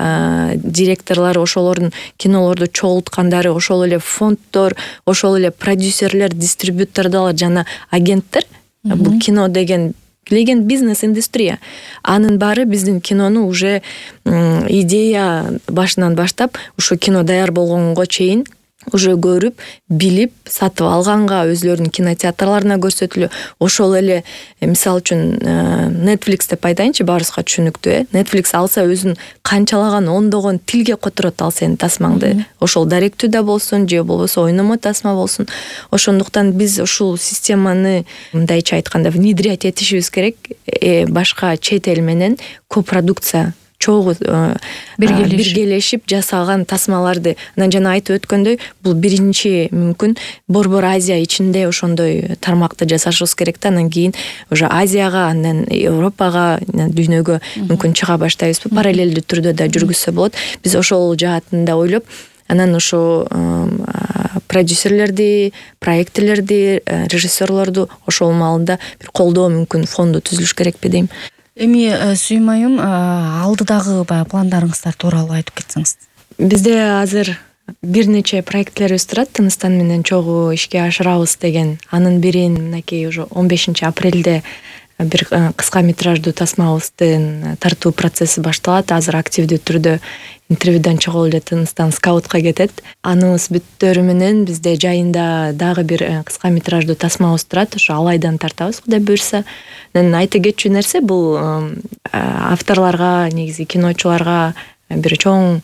директорлору, ошолордун кинолорду чогулткандары, ошол эле фонддор, ошол эле продюсерлер, дистрибьютордор жана агенттер. Бул кино деген билген бизнес индустрия. Анын баары биздин кинону уже идея башынан баштап ушу кино даяр болгонго чейин уже көрүп, билип, сатып алганга, өзлөрүнүн кинотеатрларына көрсөтүлүп, ошол эле мисалы үчүн Netflix деп айтайынчы, баарыбызга түшүнүктүү, э. Netflix алса өзүн канчалаган ондогон тилге которот ал сенин тасмаңды. Ошол даректүү да болсун, же болбосо ойномо тасма болсун. Ошондуктан биз ушул системаны мындайча айтканда внедрять этишибиз керек. Э, башка чет эл менен копродукция чогуу биргелешип жасаган тасмаларды. Анан жана айтып өткөндөй, бул биринчи мүмкүн Борбор Азия ичинде ошондой тармакты жасашыбыз керек да, анан кийин уже Азияга, анан Европага, дүйнөгө мүмкүн чыга баштайбызбы, параллелдүү түрдө да жүргүзсө болот. Биз ошол жаатында ойлоп, анан ошо продюсерлерди, проектлерди, режиссерлорду ошол маалында бир колдоо мүмкүн фонду түзүлүш керекпи дейм. Эми Сүйүм айым, алдыдагы баягы пландарыңыздар тууралуу айтып кетсеңиз. Бизде азыр бир нече проектлерибиз турат, Тыныстан менен чогуу ишке ашырабыз деген. Анын бирин мынакей уже он бешинчи апрелде бир кыска метраждуу тасмабыздын тартуу процесси башталат. Азыр активдүү түрдө интервьюдан чыгып эле Тыныстан скаутка кетет. Аныбыз бүттөрү менен бизде жайында дагы бир кыска метраждуу тасмабыз турат. Ошо Алайдан тартабыз, Кудай буйрса. Мен айта кетчү нерсе бул авторлорго, негизи киночуларга бир чоң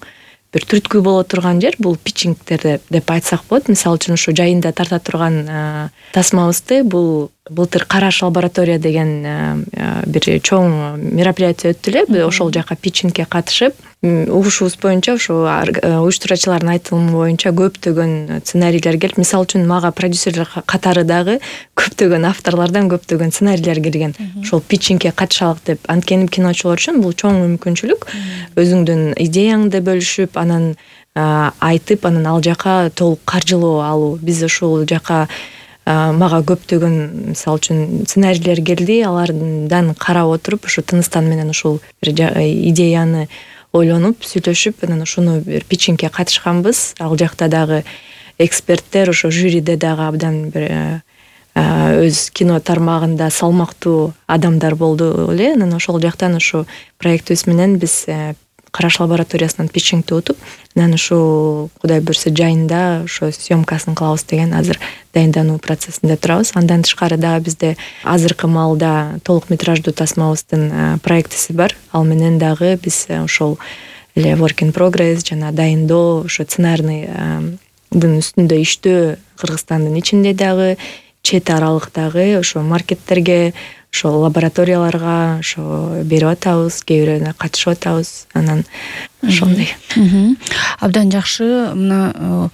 бир түрткү боло турган жер бул питчингдер деп айтсак болот. Мисалы үчүн ушу жайында тарта турган тасмабызды бул былтыр Караш лаборатория деген бир чоң мероприятие өттү эле. Ошол жака питчингге катышып, угушубуз боюнча ошо уюштуруучулардын айтылымы боюнча көптөгөн сценарийлер келип, мисалы үчүн мага продюсерлер катары дагы көптөгөн авторлордон көптөгөн сценарийлер келген. Ошол питчингге катышалык деп. Анткени киночулар үчүн бул чоң мүмкүнчүлүк. Өзүңдүн идеяңды бөлүшүп, анан айтып, анан ал жака толук каржылоо алуу. Биз ошол жака мага көптөгөн мисалы үчүн сценарийлер келди, алардан карап отуруп, ошо Тыныстан менен ушул идеяны ойлонуп, сүйлөшүп, анан ошону бир питчингге катышканбыз. Ал жакта дагы эксперттер, ошо жюриде дагы абдан бир өз кино тармагында салмактуу адамдар болду эле. Анан ошол жактан ошо проектибиз менен биз Караш лабораториясынан питчингди утуп, анан ушу Кудай буйрса жайында ошо съемкасын кылабыз деген азыр дайындануу процессинде турабыз. Андан тышкары дагы бизде азыркы маалда толук метраждуу тасмабыздын проектиси бар. Ал менен дагы биз ошол эле work in progress жана дайындоо, ошо сценарныйдын үстүндө иштөө Кыргызстандын ичинде дагы, чет аралыктагы ошо маркеттерге, ошо лабораторияларга ошо берип атабыз, кээ бирөөүнө катышып атабыз. Анан ошондой. Абдан жакшы. Мына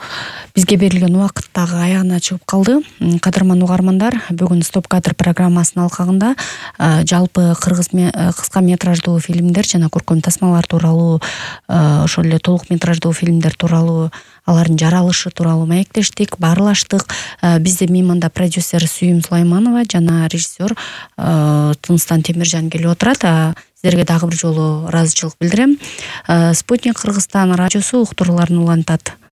бизге берилген убакыт дагы аягына чыгып калды. Кадырман угармандар, бүгүн Стоп кадр программасынын алкагында жалпы кыргыз кыска метраждуу фильмдер жана көркөм тасмалар тууралуу, ошол эле толук метраждуу фильмдер тууралуу, алардын жаралышы тууралуу маектештик, баарлаштык. Бизде мейманда продюсер Сүйүм Сулайманова жана режиссер Тыныстан Темиржан келип отурат. Сиздерге дагы бир жолу ыраазычылык билдирем. Спутник Кыргызстан радиосу уктурууларын улантат.